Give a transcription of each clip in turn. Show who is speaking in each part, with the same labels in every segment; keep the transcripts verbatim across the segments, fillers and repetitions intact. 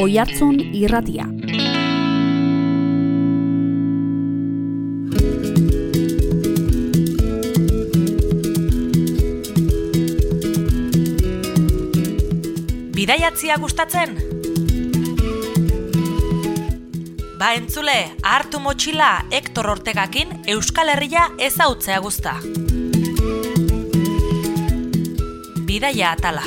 Speaker 1: Oihartzun Irratia.
Speaker 2: Bidaiatzia gustatzen? Ba entzule, hartu motxila Hektor Ortegakin Euskal Herria ezautzea guzta. Bidaia atala.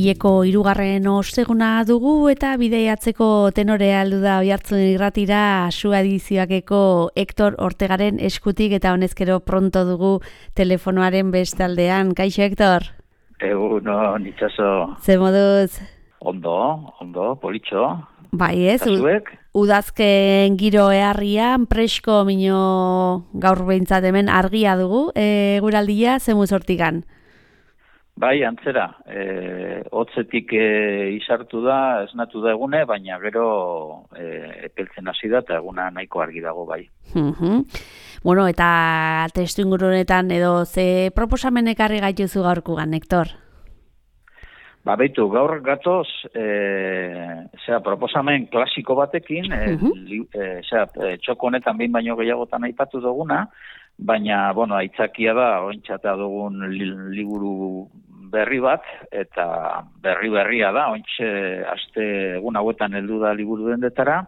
Speaker 1: Ileko hirugarren osteguna dugu eta bidaiatzeko tenorea heldu da Oihartzun Irratira Su edizioakeko Hektor Ortegaren eskutik eta honezkero pronto dugu telefonoaren bestaldean. Kaixo, Hektor?
Speaker 3: Eguno, nitzazo.
Speaker 1: Ze moduz?
Speaker 3: Ondo, ondo, politxo.
Speaker 1: Bai ez,
Speaker 3: Zuek?
Speaker 1: Udazken giro eharrian, presko mino gaur behintzat hemen argia dugu, e, guraldia zemuz hortikan?
Speaker 3: Bai, antzera, e, hotzetik e, izartu da, esnatu da egune, baina gero e, epeltzen hasi da eta eguna nahiko argi dago bai.
Speaker 1: Uh-huh. Bueno, eta testu inguru honetan edo ze proposamen ekarri gaituzu gaurkugan, Hektor?
Speaker 3: Ba, beitu, gaur gatoz, e, zera, proposamen klasiko batekin, e, uh-huh. li, e, zera, e, txoko honetan behin baino gehiagotan aipatu duguna, baina, bueno, aitzakia da, ointxatea dugun li, liburu berri bat, eta berri-berria da, ointxe aste egun hauetan heldu da liburu dendetara,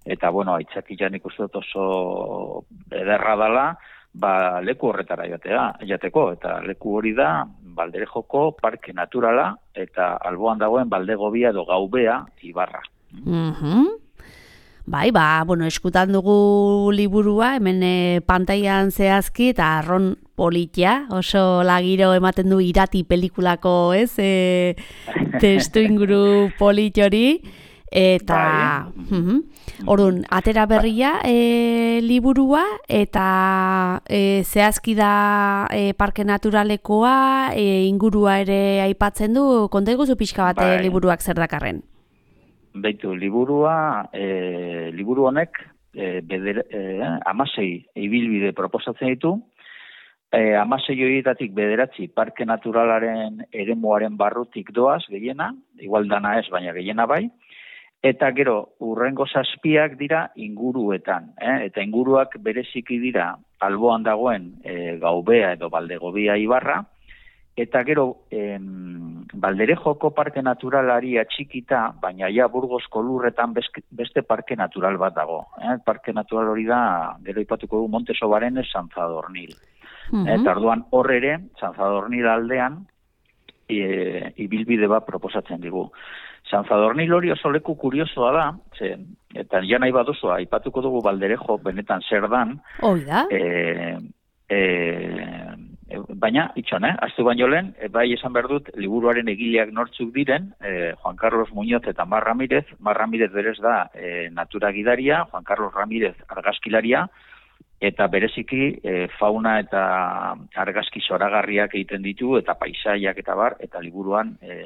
Speaker 3: eta, bueno, aitzakia nik uste dut oso ederra dela, ba, leku horretara jatea, jateko, eta leku hori da, Balderejoko Parke Naturala, eta alboan dagoen Baldegobia edo Gaubea ibarra.
Speaker 1: Mhm. Bai, ba, bueno, eskutan dugu liburua, hemen e, pantailan zehazki, eta arron politia, oso lagiro ematen du Irati pelikulako, ez, e, testu inguru polit hori, eta, bai. uh-huh. Orduan, atera berria e, liburua, eta e, zehazki da e, Parke Naturalekoa, e, ingurua ere aipatzen du, konta iguzu pixka bat bai. Liburuak zer dakarren?
Speaker 3: Beitu, liburua, e, liburu honek e, beder, e, amasei ibilbide proposatzen ditu, e, amasei horietatik bederatzi Parke Naturalaren eremuaren barrutik doaz, gehiena, igual dana ez, baina gehiena bai, eta gero urrengo zazpiak dira inguruetan, eh? Eta inguruak bereziki dira alboan dagoen e, Gaubea edo Baldegobia ibarra, eta gero em, Balderejoko Parke Naturalari atxikita, baina ja Burgosko lurretan beste parke natural bat dago. Eh? Parke natural hori da, gero ipatuko du Monte Sobarenez San Zadornil. Uh-huh. Eta orduan hor ere, San Zadornil aldean, e, ibilbide bat proposatzen digu. San Zadornil hori oso leku kuriosoa da, ze, eta ja nahi baduzu, aipatuko dugu Balderejo benetan zer dan.
Speaker 1: Hoi da?
Speaker 3: E, e, baina, itxon, eh? Aztu baino lehen, e, bai esan behar dut, liburuaren egileak nortzuk diren, e, Juan Carlos Muñoz eta Mar Ramirez, Mar Ramirez berez da e, natura gidaria, Juan Carlos Ramirez argazkilaria, eta bereziki e, fauna eta argazki zoragarriak egiten ditu, eta paisaiak eta bar, eta liburuan e,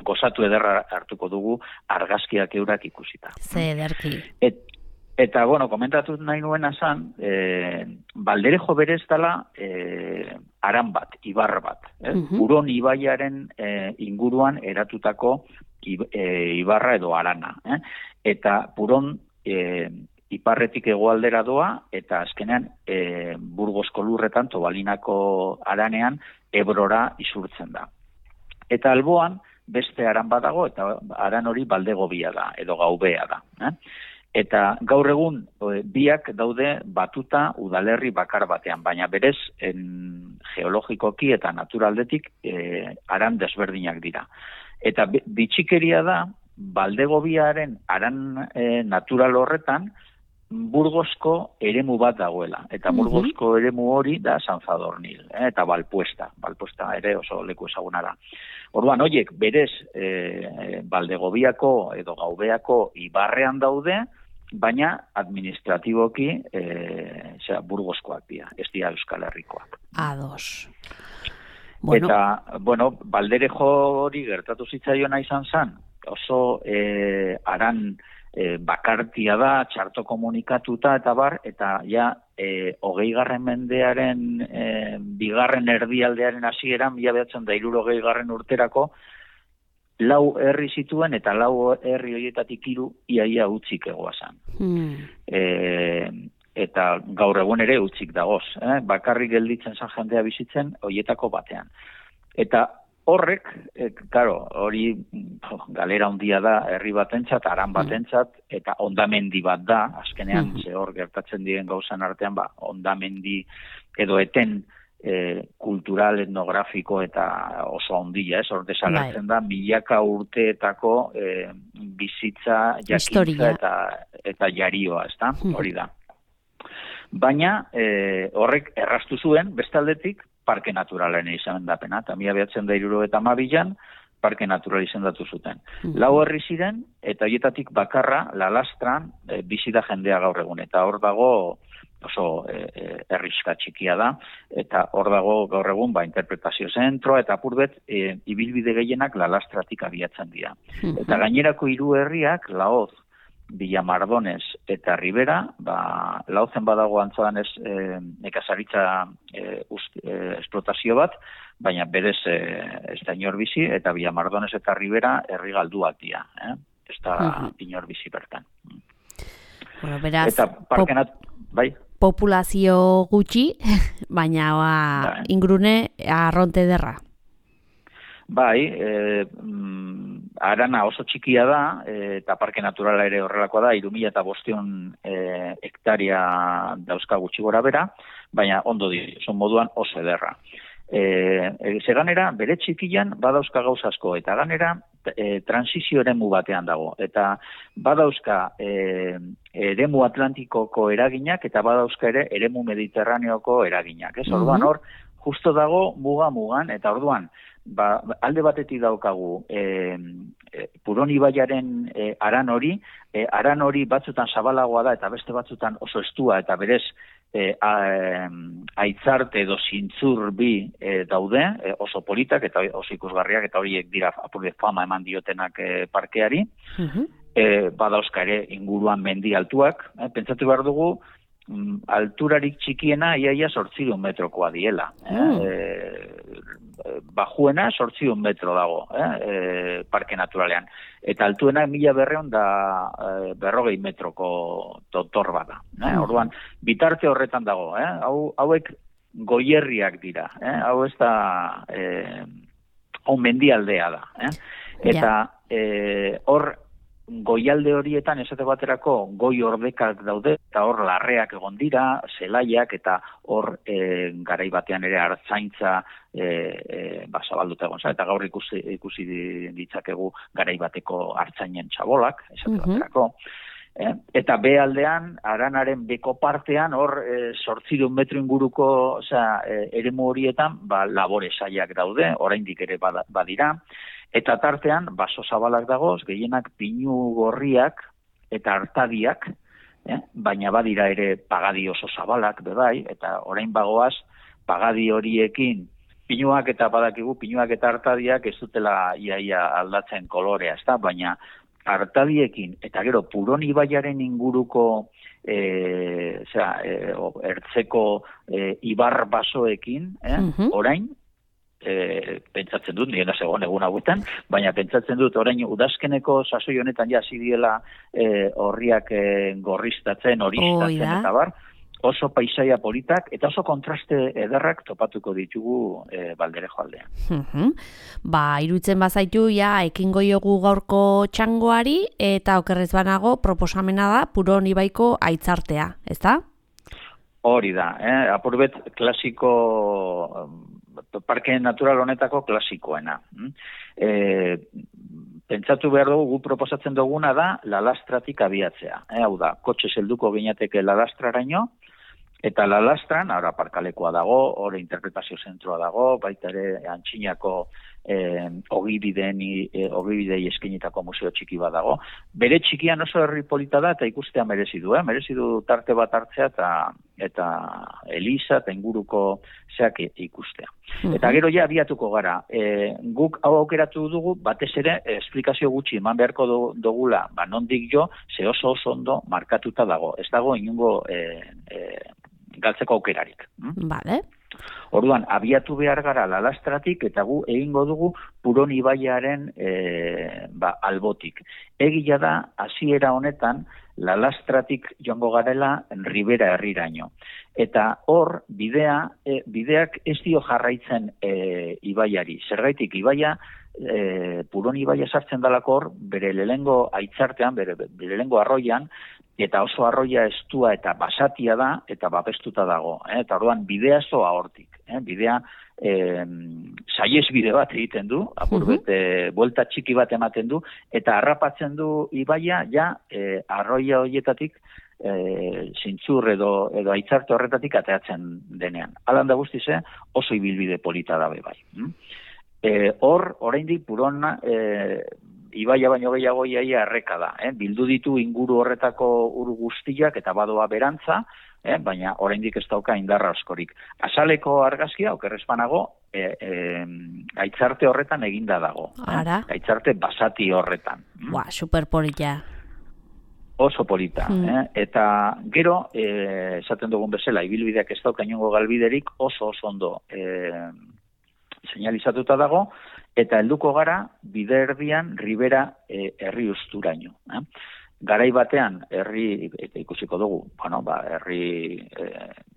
Speaker 3: gozatu ederra hartuko dugu argazkiak eurak ikusita.
Speaker 1: Ze ederki.
Speaker 3: Et, eta, bueno, komentatu nahi nuena zan, e, Balderejo berez dela e, aran bat, ibar bat. Eh? Uh-huh. Uron ibaiaren e, inguruan eratutako e, ibarra edo arana. Eh? Eta Puron e, iparretik hegoaldera doa, eta azkenean e, Burgosko lurretan, Tobalinako aranean, Ebrora isurtzen da. Eta alboan, beste aran badago, eta aran hori Baldegobia da, edo Gaubea da. Eh? Eta gaur egun e, biak daude batuta udalerri bakar batean, baina berez en, geologikoki eta naturaldetik e, aran desberdinak dira. Eta bitxikeria da, Baldegobiaren aran e, natural horretan, Burgosko eremu bat dagoela. Eta Burgosko uh-huh. eremu hori da San Zadornil, eh? Eta Balpuesta. Balpuesta ere oso leku ezaguna da. Orduan, horiek, berez, e, Baldegobiako edo Gaubeako ibarrean daude, baina administratiboki e, zera, Burgoskoak dira, ez dira Euskal Herrikoak.
Speaker 1: Ados. Bueno.
Speaker 3: Eta, bueno, Balderejo hori gertatu zitzaiona izan zen, oso e, aran e, bakartia da, txarto komunikatuta eta bar, eta ja e, hogei garren mendearen e, bigarren erdialdearen hasieran, mila bederatziehun eta hirurogei garren urterako, lau herri zituen eta lau herri horietatik hiru iaia utzik egoazan.
Speaker 1: Hmm.
Speaker 3: E, eta gaur egun ere utzik dagoz. Eh? Bakarrik gelditzen zan jendea bizitzen horietako batean. Eta horrek, e, claro, hori oh, galera handia da herri batentzat, aran batentzat, eta ondamendi bat da, azkenean, mm. ze hor gertatzen diren gauzan artean, ba, ondamendi edo eten e, kultural, etnografiko eta oso handia, ez, hor desagertzen da, milaka urteetako e, bizitza, jakintza eta, eta jarioa, ez da, mm. hori da. Baina e, horrek erraztu zuen, bestaldetik, parke naturalen izendapena, eta mila bederatziehun eta hirurogeita hamabian parke natural izendatu zuten. Mm-hmm. Lau herri ziren, eta horietatik bakarra, La Lastra, e, bizi da jendea gaur egun, eta hor dago oso e, e, herriska txikia da, eta hor dago gaur egun ba, interpretazio zentroa, eta apurbet, e, ibilbide gehienak La Lastratik abiatzen dira. Mm-hmm. Eta gainerako hiru herriak, Laoz, Villamardones eta Ribera, ba, Laozen badago antzadan ez e, nekazaritza e, e, esplotazio bat, baina berez e, ez da inor bizi, eta Villamardones eta Ribera herri galduak dira, eh? Ez da uh-huh. inor bizi bertan.
Speaker 1: Bueno, beraz,
Speaker 3: eta parkenat, bai?
Speaker 1: Populazio gutxi, baina ba, bai. Ingurune arronte derra.
Speaker 3: Bai, e, mm, arana oso txikia da, e, eta parke naturala ere horrelakoa da, hiru mila bostehun e, hektaria dauzka gutxi gora bera, baina ondo di, son moduan oso ederra. E, e, ze ganera, bere txikian badauzka gauz asko, eta ganera e, transizio eremu batean dago, eta badauzka e, eremu Atlantikoko eraginak, eta badauzka ere eremu Mediterraneoko eraginak. Ez, orduan hor, justo dago muga-mugan, eta orduan, ba, alde batetik daukagu e, e, Puron ibaiaren e, aran hori, e, aran hori batzutan zabalagoa da eta beste batzutan oso estua eta berez e, a, e, aitzarte edo zintzur bi e, daude, e, oso politak eta oso ikusgarriak eta horiek dira apurde fama eman diotenak e, parkeari, uh-huh. e, badauzka ere inguruan mendi altuak, e, pentsatu behar dugu, alturarik txikiena iaia zortziehun metrokoa diela. Mm. E, bajuena zortziehun metro dago, eh? e, parke naturalean. Eta altuena mila berreun da e, berrogei metroko dotor bada. Eh? Mm. Orduan, bitarte horretan dago. Eh? Hau, hauek goierriak dira. Eh? Hau ez da e, hau mendialdea da. Eh? Eta yeah. hor goialde horietan esate baterako goi ordekak daude eta hor larreak egon dira, zelaiak eta hor e, garai batean ere hartzaintza e, e, ba, zabalduta egon za, eta gaur ikusi, ikusi ditzakegu garai bateko hartzainen txabolak, esate uh-huh. baterako. Eh? Eta be aldean, aranaren beko partean, hor zortziehun e, metro inguruko osea, e, eremu horietan ba, labore saiak daude, oraindik ere badira. Eta tartean, baso zabalak dagoz, gehienak pinu gorriak eta artadiak, eh? baina badira ere pagadi oso zabalak, bebai, eta orain bagoaz, pagadi horiekin, pinuak eta badakigu, pinuak eta artadiak ez dutela iaia aldatzen kolorea, ez da? Baina artadiekin, eta gero Puron ibaiaren inguruko e, zera, e, ertzeko e, ibar basoekin, eh? uh-huh. orain, E, pentsatzen dut, nire segon egun hauetan, baina pentsatzen dut orain udazkeneko sasoi honetan ja zidiela e, horriak e, gorriztatzen, horistatzen oh, eta bar, oso paisaia politak eta oso kontraste ederrak topatuko ditugu e, Balderejo aldean.
Speaker 1: Uh-huh. Ba, iruditzen bazaitu, ja, ekingo jogu gaurko txangoari eta okerrez banago proposamena da Puron ibaiko aitzartea, ez da?
Speaker 3: Hori da, eh? Apurbet klasiko parke natural honetako klasikoena. E, pentsatu behar dugu, gu proposatzen duguna da La Lastratik abiatzea. E, hau da, kotxe helduko ginateke La Lastraraino, eta La Lastran, ara parkalekoa dago, hori interpretazio zentroa dago, baita ere Antxinako eh, ogibideen, eh, ogibidei eskenitako museo txiki bat dago. Bere txikian oso herri polita da eta ikustea merezi du, eh? merezi du tarte bat hartzea eta eta Eliza eta inguruko zeak ikustea. Mm-hmm. Eta gero ja abiatuko gara. E, guk hau aukeratu dugu, batez ere, esplikazio gutxi eman beharko dugula, ba nondik jo, ze oso oso ondo markatuta dago. Ez dago inungo e, e, galtzeko aukerarik.
Speaker 1: Vale.
Speaker 3: Orduan, abiatu behar gara Lalastratik eta gu egingo dugu Puron ibaiaren e, ba, albotik. Egia da, hasiera honetan, Lalastratik joango garela Ribera herriraino. Eta hor, bidea, e, bideak ez dio jarraitzen e, ibaiari. Zergaitik ibaia, e, Puron ibaia sartzen dalako hor, bere lehengo aitzartean, bere, bere lehengo arroian, eta oso arroia estua eta basatia da, eta babestuta dago. Eh? Eta orduan, bidea zoa hortik. Eh? Bidea, eh, saiez bide bat egiten du, apurbet, eh, buelta txiki bat ematen du, eta harrapatzen du ibaia, ja, eh, arroia horietatik, eh, zintzur edo, edo aitzarte horretatik ateatzen denean. Alan da guztize, oso ibilbide polita dabe bai. Hm? Eh, hor, oraindik Purona, eh, ibaia baino gehiago iaia erreka da. Eh? Bildu ditu inguru horretako ur guztiak eta badoa berantza, eh? baina oraindik ez dauka indarra askorik. Azaleko argazkia, okerrezpanago, e, e, aitzarte horretan eginda dago.
Speaker 1: Ara.
Speaker 3: Eh? Aitzarte basati horretan.
Speaker 1: Ba, superpolita.
Speaker 3: Oso polita. Mm. Eh? Eta gero, eh, esaten dugun bezala, ibilbideak ez dauka inongo galbiderik oso oso ondo eh, señalizatuta dago, eta helduko gara bide erdian Ribera e, herri usturaino. Eh? Garai batean herri eta ikusiko dugu, bueno, ba herri e,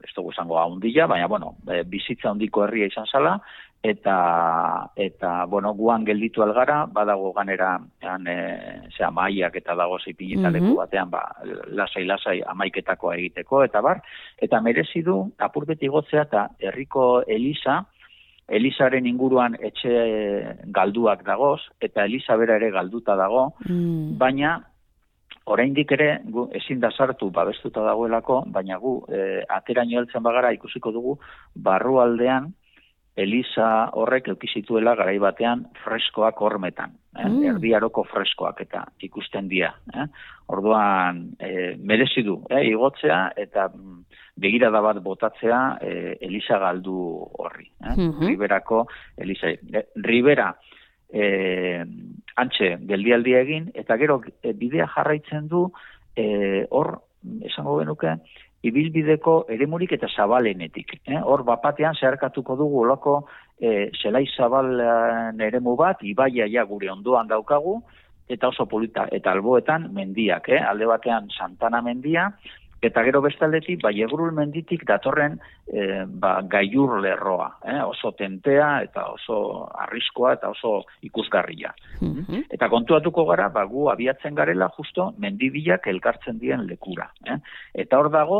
Speaker 3: ez dugu izango handia, baina bueno, e, bizitza handiko herria izan zala eta eta bueno, guan gelditu algara, badago ganera han eh sea maiak eta dago zipinetaleku mm -hmm. batean, ba lasai lasai hamaiketakoa egiteko eta bar, eta merezi du apurbeti igotzea eta herriko eliza Elizaren inguruan etxe galduak dagoz, eta Eliza bera ere galduta dago, mm. baina oraindik ere gu, ezin da sartu babestuta dagoelako, baina gu e, ateraino heltzen bagara ikusiko dugu barrualdean Eliza horrek eukizituela garai batean freskoak hormetan, eh? mm. erdiaroko freskoak eta ikusten dira. Eh? Orduan e, merezi du eh? igotzea eta begirada bat botatzea e, Eliza galdu horri. Eh? Mm-hmm. Riberako Eliza. Ribera e, antxe geldialdia egin, eta gero e, bidea jarraitzen du e, hor, esango genuke, ibilbideko eremurik eta zabalenetik. Eh? Hor bapatean zeharkatuko dugu olako e, zelai zabalen eremu bat, ibaia ja gure ondoan daukagu, eta oso polita, eta alboetan mendiak, eh? alde batean Santana mendia, eta gero bestaldetik, ba, Jegrul menditik datorren e, ba, Gaiur lerroa, eh? oso tentea, eta oso arriskoa, eta oso ikusgarria. Mm-hmm. Eta kontuatuko gara, ba, gu abiatzen garela justo mendibilak elkartzen dien lekura. Eh? Eta hor dago,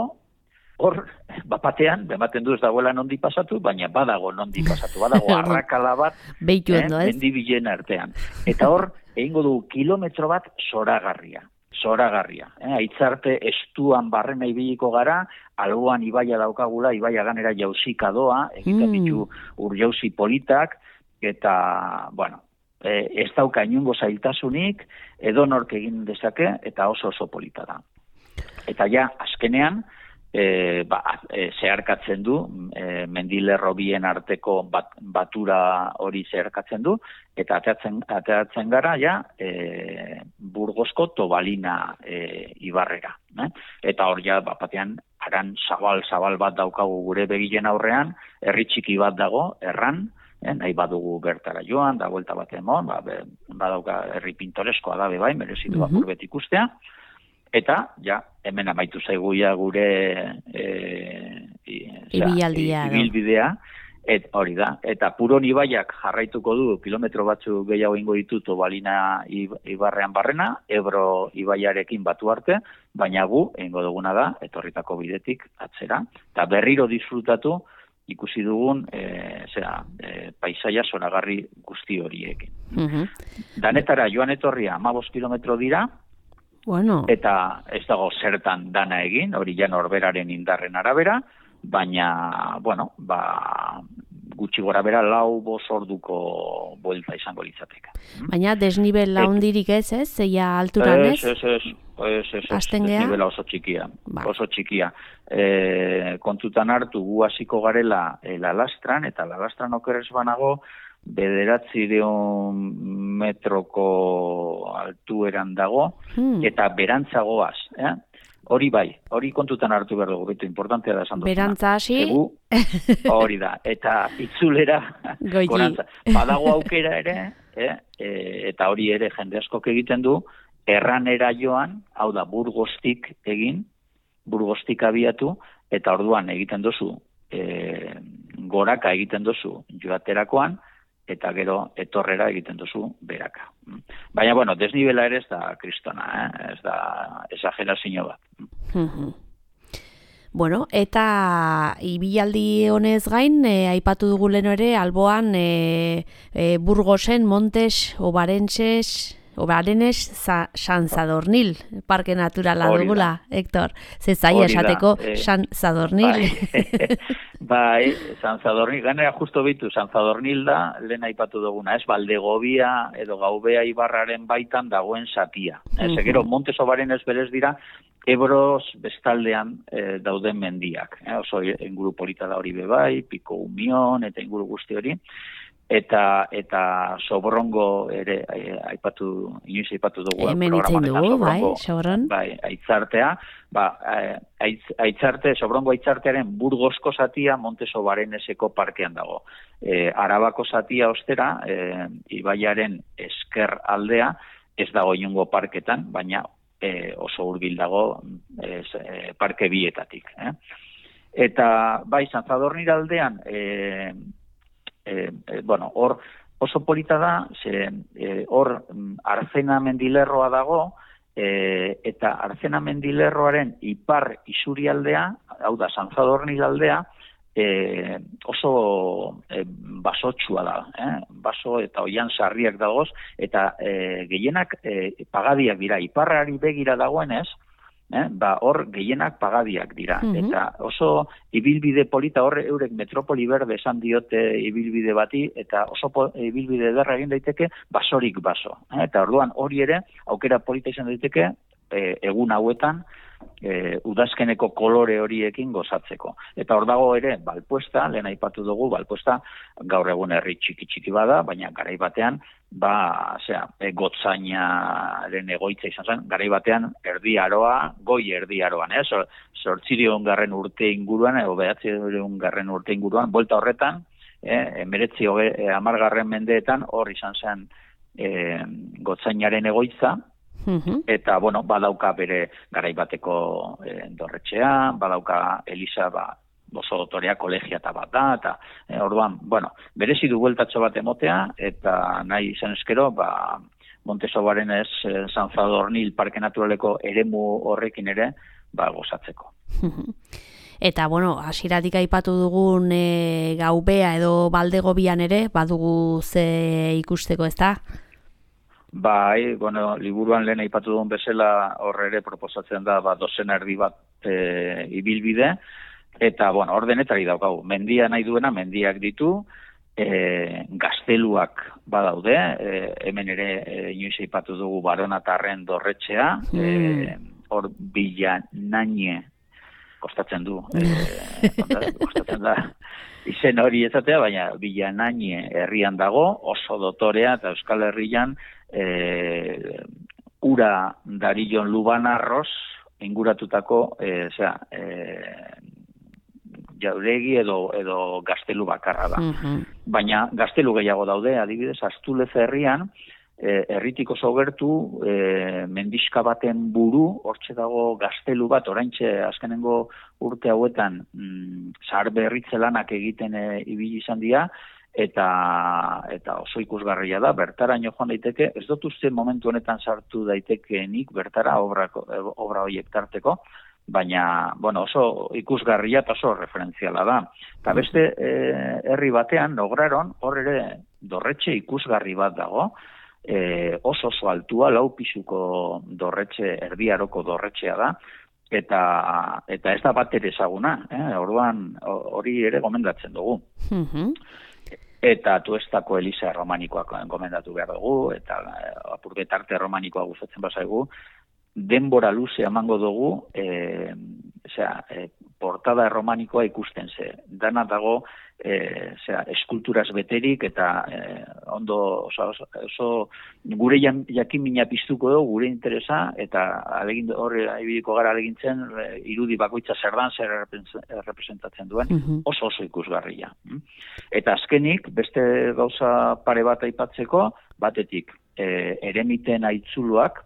Speaker 3: hor, bapatean, bematen du ez dagoela nondi pasatu, baina badago nondi pasatu, badago arrakala bat
Speaker 1: eh,
Speaker 3: mendibilen artean. Eta hor, egingo du kilometro bat zoragarria. Zoragarria. Eh? Aitzarte estuan barrena ibiliko gara, alboan ibaia daukagula, ibaia ganera jauzika doa, egiten ditu mm. ur jauzi politak, eta, bueno, e, ez dauka inungo zailtasunik, edonork egin dezake, eta oso oso polita da. Eta ja, azkenean, E, ba, e, zeharkatzen du, e, mendilerro bien arteko bat, batura hori zeharkatzen du, eta ateatzen, ateatzen gara ja e, Burgosko Tobalina e, ibarrera. Eh? Eta hor ja, bapatean, aran zabal-zabal bat daukagu gure begilen aurrean, herri txiki bat dago, erran, eh? nahi badugu bertara joan, da vuelta bat emon, ba, be, badauka herri pintoreskoa da bebai, merezitu mm-hmm. apurbet ikustea, eta, ja, hemen amaitu zaiguia gure e, e,
Speaker 1: ibilbidea,
Speaker 3: ibilbidea, et hori da. Eta Puron ibaiak jarraituko du kilometro batzu gehiago ingo ditu Tobalina ibarrean barrena, Ebro ibaiarekin batu arte, baina gu, egingo duguna da, etorritako bidetik atzera, eta berriro disfrutatu ikusi dugun e, zera, e, paisaia zoragarri guzti horiekin. Mm-hmm. Danetara joan etorria hamabost kilometro dira,
Speaker 1: Bueno.
Speaker 3: Eta ez dago zertan dana egin, hori ja norberaren indarren arabera, baina, bueno, ba, gutxi gora bera lau bos orduko buelta izango litzateka.
Speaker 1: Baina desnibel laundirik ez, ez? Zeia alturan ez?
Speaker 3: Ez, ez, ez, ez, ez, desnibela oso txikia, ba. oso txikia. E, kontutan hartu gu hasiko garela e, Lalastran, eta Lalastran okeres banago, bederatzireun metroko altueran dago, hmm. eta berantzagoaz. Eh? hori bai, hori kontutan hartu behar dugu, betu importantea da esan duzuna.
Speaker 1: Berantza hasi.
Speaker 3: Hori da, eta itzulera, gorantza. Badago aukera ere, eh, e, eta hori ere jende askok egiten du, erranera joan, hau da, Burgostik egin, Burgostik abiatu, eta orduan egiten duzu, e, goraka egiten duzu joaterakoan, eta gero etorrera egiten duzu beraka. Baina, bueno, desnibela ere ez da kristona, eh? Ez da exagerazio bat.
Speaker 1: Bueno, eta ibilaldi honez gain, e, aipatu dugu leno ere, alboan e, e, Burgosen, Montes, Obarentses, Obarenes, San Sadornil, parke naturala dugula, Hector. Ze zaila esateko eh, San Sadornil.
Speaker 3: Bai, bai, San Sadornil, ganera justo bitu, San Sadornil da, lehen aipatu duguna, ez, Baldegobia edo Gaubea ibarraren baitan dagoen satia. Ez, uh-huh. Gero, Montes Obarenes berez dira, Ebros bestaldean eh, dauden mendiak. Eh, oso inguru polita da hori bebai, Piko Umion, eta inguru guzti hori. Eta eta Sobrongo ere eh, aipatu inoiz aipatu dugu
Speaker 1: hemen itzen dugu, bai, Sobron.
Speaker 3: Bai, aitzartea, ba, aitz, aitzarte, Sobrongo aitzartearen Burgosko zatia Montes Obareneseko parkean dago. E, Arabako zatia ostera, e, ibaiaren esker aldea, ez dago inongo parketan, baina e, oso hurbil dago e, e, parke bietatik. Eh? Eta bai, San Sadornil aldean, e, E, e, bueno, hor oso polita da, ze hor e, Arzena mendilerroa dago, e, eta Arzena mendilerroaren ipar isurialdea, hau da, San Sadornil aldea, e, oso e, basotsua da, eh? Baso eta oian sarriak dagoz, eta e, gehienak e, pagadiak dira, iparrari begira dagoenez, Eh, ba, hor gehienak pagadiak dira. Mm-hmm. Eta oso ibilbide polita, hor eurek metropoli berde esan diote ibilbide bati, eta oso po, ibilbide derra egin daiteke basorik baso. Eh, eta orduan hori ere, aukera polita izan daiteke, e, egun hauetan, e, udazkeneko kolore horiekin gozatzeko. Eta hor dago ere, Balpuesta, lehen aipatu dugu, Balpuesta gaur egun herri txiki-txiki bada, baina garai batean, ba, zera, e, Gotzainaren egoitza izan zen, garai batean erdi aroa, goi erdi aroan, eh? Zortzirion garren urte inguruan, edo behatzirion garren urte inguruan, bolta horretan, eh, emeretzi e, amargarren mendeetan, hor izan zen e, Gotzainaren egoitza, uh-huh. Eta, bueno, badauka bere garai bateko e, dorretxea, badauka Elisa, ba, oso dotorea kolegiata bat da, eta e, orduan, bueno, berezi du bueltatxo bat emotea, eta nahi izan eskero, ba, Montes Obarenes, e, San Sadornil parke naturaleko eremu horrekin ere, ba, gozatzeko.
Speaker 1: Eta, bueno, hasieratik aipatu dugun e, Gaubea edo Baldegobian ere, badugu ze ikusteko, ez da?
Speaker 3: Bai, bueno, liburuan lehen aipatu dugun bezala horre ere proposatzen da, ba, dozena erdi bat e, ibilbide, eta, bueno, ordenetari daukagu. Mendia nahi duena, mendiak ditu, e, gazteluak badaude, e, hemen ere e, inoiz aipatu dugu Baronatarren dorretxea, mm. hor e, Bilanaine, kostatzen du, e, kostatzen da, izen hori ezatea, baina Bilanaine herrian dago, oso dotorea, eta Euskal Herrian, e, ura Darillon Lubanarroz, inguratutako, e, zera, e, jauregi edo, edo gaztelu bakarra da. Uh-huh. Baina gaztelu gehiago daude, adibidez, Astulez herrian, e, herritik oso gertu, e, mendiska baten buru, hortxe dago gaztelu bat, oraintxe azkenengo urte hauetan, mm, zahar berritze lanak egiten e, ibili izan dira, eta eta oso ikusgarria da, bertaraino joan daiteke, ez dut uste momentu honetan sartu daitekeenik bertara obra, obra horiek tarteko, baina, bueno, oso ikusgarria eta oso referentziala da. Eta beste e, herri batean, Nograron, hor ere dorretxe ikusgarri bat dago, e, oso oso altua, lau pisuko dorretxe, erdiaroko dorretxea da, eta eta ez da bat ere ezaguna, eh? Orduan hori ere gomendatzen dugu. Uh-huh. Eta Tuestako Elisa romanikoak gomendatu behar dugu, eta apurget arte romanikoa gustatzen bazaigu, denbora luze emango dugu, e, osea, e, portada romanikoa ikusten ze. Dana dago, e, osea, eskulturaz beterik, eta e, ondo, oso, oso gure jakimina piztuko du, gure interesa, eta alegin horre ibiliko gara alegintzen, irudi bakoitza zer dan, zer representatzen duen, uh-huh. oso oso ikusgarria. Eta azkenik, beste gauza pare bat aipatzeko, batetik, e, eremiten aitzuluak,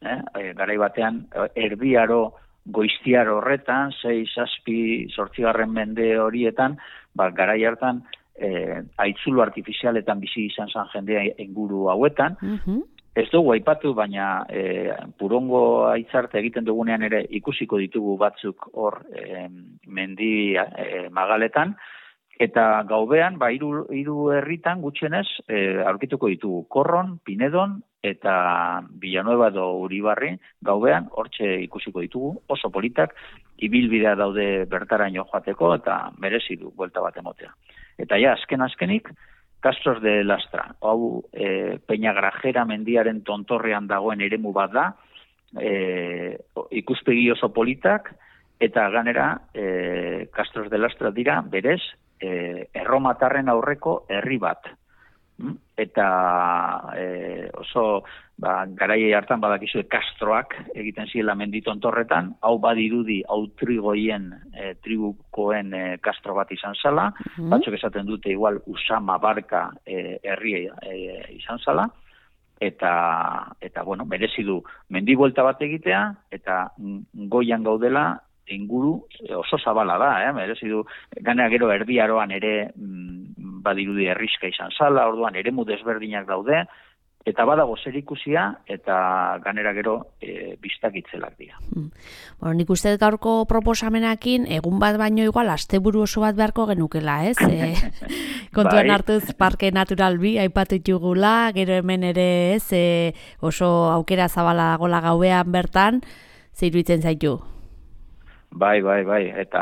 Speaker 3: eh, garai batean, erdiaro, goiztiar horretan, sei, zazpi, zortzigarren mende horietan, ba, garai hartan, eh, aitzulu artifizialetan bizi izan zan jendea inguru hauetan, uh-huh. Ez dugu aipatu, baina eh, purongo aitzarte egiten dugunean ere ikusiko ditugu batzuk hor eh, mendi eh, magaletan, eta gaubean, ba, hiru, hiru herritan gutxienez eh, aurkituko ditugu Korron, Pinedon, eta Villanueva edo Uribarri gaubean hortxe ikusiko ditugu, oso politak, ibilbidea daude bertaraino joateko eta merezi du buelta bat emotea. Eta ja, azken azkenik, Castros de Lastra, hau e, Peñagrajera mendiaren tontorrean dagoen eremu bat da, e, ikuspegi oso politak, eta ganera e, Castros de Lastra dira, berez, e, erromatarren aurreko herri bat. Eta e, oso ba, garai hartan badakizue kastroak egiten zirela mendi tontorretan, hau badirudi autrigoien e, tribukoen e, kastro bat izan zala, uh-huh. batzuk esaten dute igual Usama Barka e, herri e, izan zala, eta, eta bueno, merezi du mendi buelta bat egitea, eta goian gaudela, inguru oso zabala da, eh? merezi du, ganea gero erdiaroan ere mm, badirudi herriska izan zala, orduan eremu desberdinak daude, eta badago zerikusia, eta ganera gero e, biztak itzelak dira.
Speaker 1: Hmm. Bueno, nik uste gaurko proposamenakin, egun bat baino igual, asteburu oso bat beharko genukela, ez? E, kontuan bai. Hartuz, Parke Natural bi, aipatu jugula, gero hemen ere, ez? E, oso aukera zabala dagoela gauean bertan, zeiruitzen zaitu?
Speaker 3: Bai, bai, bai, eta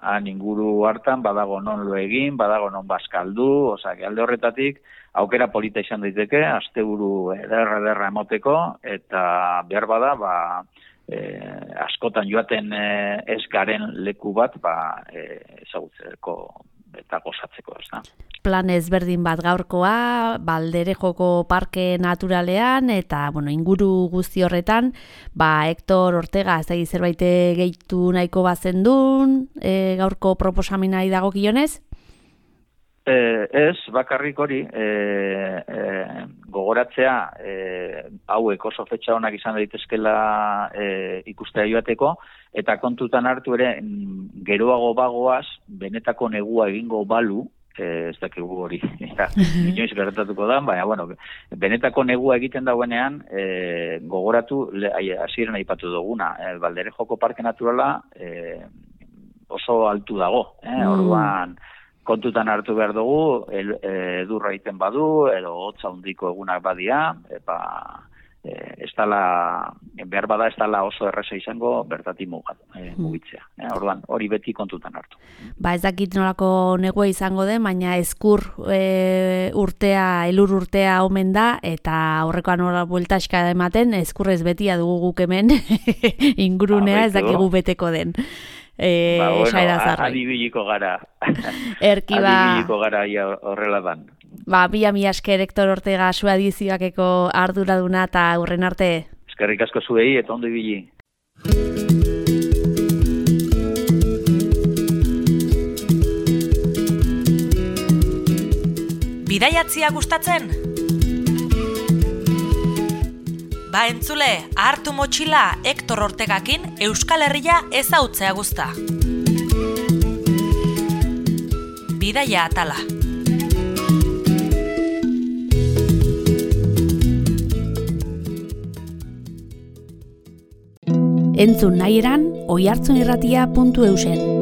Speaker 3: han inguru hartan badago non lo egin, badago non bazkaldu, osea, alde horretatik aukera polita izan daiteke, asteburu ederra ederra emoteko, eta behar bada, ba, e, askotan joaten e, ez garen leku bat, ba, e, ezagutzeko eta gozatzeko, ez da.
Speaker 1: Plan ezberdin bat gaurkoa, Balderejoko Parke Naturalean, eta bueno, inguru guzti horretan, ba, Hector Ortega, ez da zerbait gehitu nahiko bazendun, e, gaurko proposamenari dagokionez?
Speaker 3: Eh, ez, bakarrik hori, eh, eh, gogoratzea, eh, hauek oso fetxa honak izan daitezkela eh, ikustea joateko, eta kontutan hartu ere, geroago bagoaz, benetako negua egingo balu, eh, ez dakigu hori, inoiz gertatuko da, baina, bueno, benetako negua egiten dauenean, eh, gogoratu, hasieran aipatu duguna, eh, Balderejoko Parke Naturala eh, oso altu dago, eh, mm. orduan, kontutan hartu behar dugu, edurra egiten badu, edo hotza handiko egunak badia, eta e, ez dala, behar bada ez dala oso erreza izango bertatik e, mugitzea. E, orduan, hori beti kontutan hartu.
Speaker 1: Ba ez dakit nolako negua izango den, baina eskur e, urtea, elur urtea omen da, eta horrekoan nola bueltaska ematen, eskurrez betia dugu guk hemen, ingurunea ez dakigu beteko den. Eh,
Speaker 3: ba, bueno, adibiliko gara.
Speaker 1: Erki ba.
Speaker 3: Adibiliko gara ia horrela dan.
Speaker 1: Ba, bila mi asker Hector Ortega zu edizioakeko arduraduna eta hurren arte.
Speaker 3: Eskerrik asko zuei eta ondo ibili.
Speaker 2: Bidaiatzia gustatzen? Ba entzule, hartu motxila Hector Ortegakin Euskal Herria ezautzea guzta. Bidaia atala.
Speaker 1: Entzun nahi eran, oihartzunirratia puntu eusen.